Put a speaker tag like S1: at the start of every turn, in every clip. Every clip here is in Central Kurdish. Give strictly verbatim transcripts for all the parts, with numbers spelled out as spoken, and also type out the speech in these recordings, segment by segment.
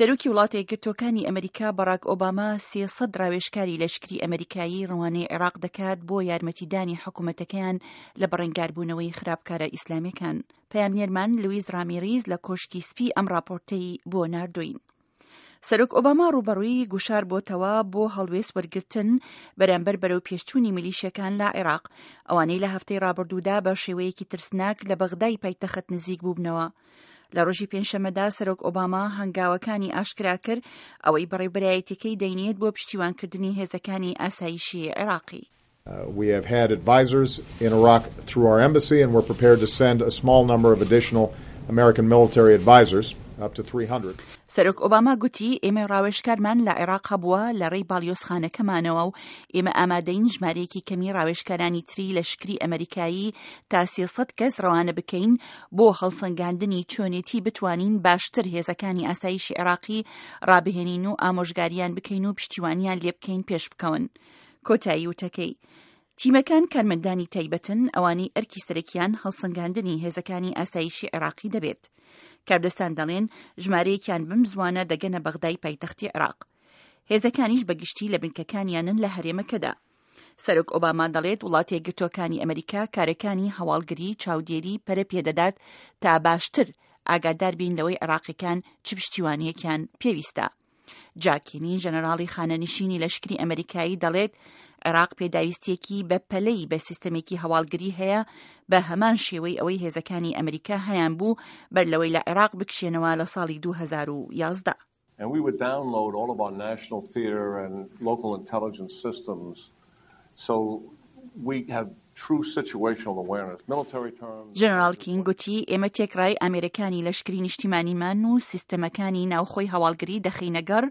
S1: سەرۆکی وڵاتە یەکگرتووەکانی ئەمریکا باراک ئۆباما سێ سەد ڕاوێژکاری لەشکری ئەمریکایی ڕەوانەی عێراق دەکات بۆ یارمەتیدانی حکوومەتەکەیان لە بەڕەنگاربوونەوەی خراپکارە ئیسلامیەکان. پەیامنێرمان لویز ڕامیریز لە کۆشکی سپی ئەم راپۆرتەی بۆ ناردوین. سەرۆک ئۆباما ڕووبەڕووی گوشار بۆتەوە بۆ هەڵوێست وەرگرتن بەرامبەر بەرەو پێشچوونی میلیشیەکان لە عێراق، ئەوانەی لە هەفتەی ڕابردوودا بە شێوەیەکی ترسناک لە بەغدای پایتەخت نزیک بووبنەوە. لە ڕۆژی پێنجشەممەدا سەرۆک ئۆباما هەنگاوەکانی ئاشکرا کرد ئەوەی بەڕێوبەرایەتیەکەی دەینێت بۆ پشتیوانکردنی هێزەکانی ئاسایشی عێراقی.
S2: We have had advisors in Iraq through our embassy, and we're prepared to send a small number of additional American military advisors, up to three hundred.
S1: سەرۆک ئۆباما گوتی ئێمە ڕاوێژکارمان لە عێراق هەبووە لە ڕێی باڵیۆزخانەکەمانەوە و ئێمە ئامادەین ژمارەیەکی کەمی ڕاوێژکارانی تری لەشکری ئەمریکایی تا سێ سەد کەس ڕەوانە بکەین بۆ هەڵسەنگاندنی چۆنێتی بتوانین باشتر هێزەکانی ئاسایشی عێراقی ڕابهێنین و ئامۆژگاریان بکەین و پشتیوانیان لێ بکەین پێش بکەون. کۆتایی وتەکەی. تیمەکان کارمەندانی تایبەتن ئەوانەی ئەرکی سەرەکیان هەڵسەنگاندنی هێزەکانی ئاسایشی عێراقی دەبێت. کاردەستان دەڵێن ژمارەیەکیان بەم زوانە دەگەنە بەغدای پایتەختی عێراق. هێزەکانیش بەگشتی لە بنکەکانیانن لە هەرێمەکەدا. سەرۆک ئۆباما دەڵێت وڵاتە یەکگرتووەکانی ئەمریکا کارەکانی هەواڵگری چاودێری پەرە پێدەدات تا باشتر ئاگادار بین لەوەی عێراقیەکان چ پشتیوانیەکیان پێویستە. جاکینی ژەنەراڵی خانەنشینی لەشکری ئەمریکایی دەڵێت عێراق پێداویستیەکی بە پەلەی بە سیستەمێکی هەواڵگری هەیە بە هەمان شێوەی ئەوەی هێزەکانی ئەمریکا هەیان بوو بەر لەوەی لە عێراق بکشێنەوە لە ساڵی دوو هەزار و یازدە.
S3: And we would download all of our national theater and local intelligence systems so we have true situational awareness. Military terms.
S1: ژەنەراڵ کین گوتی ئێمە تێکڕای ئامێرەکانی لەشکری نیشتیمانیمان و سیستەمەکانی ناوخۆی هەواڵگری دەخەینە گەڕ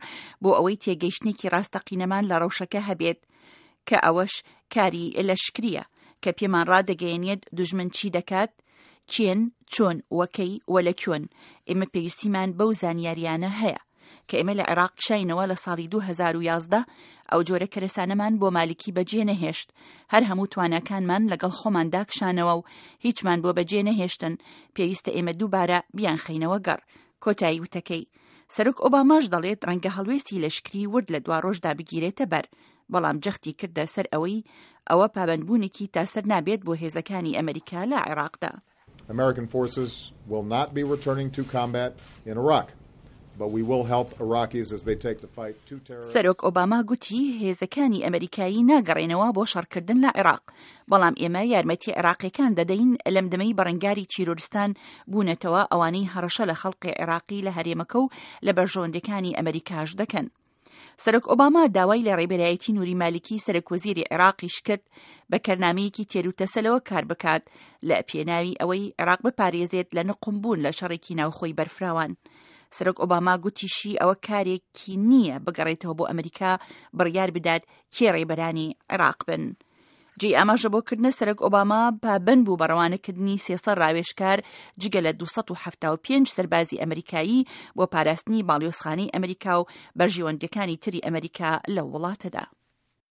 S1: بۆ ئەوەی تێگەیشتنێکی ڕاستەقینەمان لە ڕەوشەکە هەبێت، کە ئەوەش کاری لەشکریە کە پێمان ڕادەگەیەنێت دوژمن چی دەکات، کێن، چۆن، وەکەی و لە کوێن. ئێمە پێویستیمان بەو زانیاریانە هەیە کە ئێمە لە عێراق کشاینەوە لە ساڵی دوو هەزار و یازدە ئەو جۆرە کەرەسانەمان بۆ مالکی بەجێ نەهێشت. هەر هەموو تواناکانمان لەگەڵ خۆماندا کشانەوە و هیچمان بۆ بەجێ نەهێشتن. پێویستە ئێمە دووبارە بیانخەینەوە گەڕ. کۆتایی وتەکەی. سەرۆک ئۆباماش دەڵێت ڕەنگە هەڵوێستی لەشکری ورد لە دوا ڕۆژدا بگیرێتە بەر، بەڵام جەختی کردە سەر ئەوەی ئەوە پابەندبوونێکی تاسەر نابێت بۆ هێزەکانی ئەمریکا لە عێراقدا.
S2: American forces will not be returning to combat in Iraq, but we will help Iraqis as they take the fight to terrorists.
S1: سەرۆک ئۆباما گوتی هێزەکانی ئەمریکایی ناگەڕێنەوە بۆ شەڕکردن لە عێراق، بەڵام ئێمە یارمەتی عێراقیەکان دەدەین لەم دەمەی بەڕەنگاری تیرۆرستان بوونەتەوە ئەوانەی هەڕەشە لە خەڵقی عێراقی لە هەرێمەکە و لە بەرژەوەندەکانی ئەمریکاش دەکەن. سەرۆک ئۆباما داوای لە ڕێبەرایەتی نوری مالکی سەرۆک وەزیری عێراقیش کرد بە کەرنامەیەکی تێروتەسەلەوە کار بکات لە پێناوی ئەوەی عێراق بپارێزێت لە نقومبوون لە شەڕێکی ناوخۆی بەرفراوان. سەرۆک ئۆباما گوتیشی ئەوە کارێکی نییە بگەڕێتەوە بۆ ئەمریکا بڕیار بدات کێ ڕێبەرانی عێراق بن. جێی ئاماژە بۆکردنە سەرۆک ئۆباما پابەند بوو بە ڕەوانەکردنی سێ سەد ڕاوێژکار جگە لە دوو سەد و حەفتا و پێنج سەربازی ئەمریکایی بۆ پاراستنی باڵیۆزخانەی ئەمریکا و بەرژەوەندیەکانی تری ئەمریکا لە وڵاتەدا.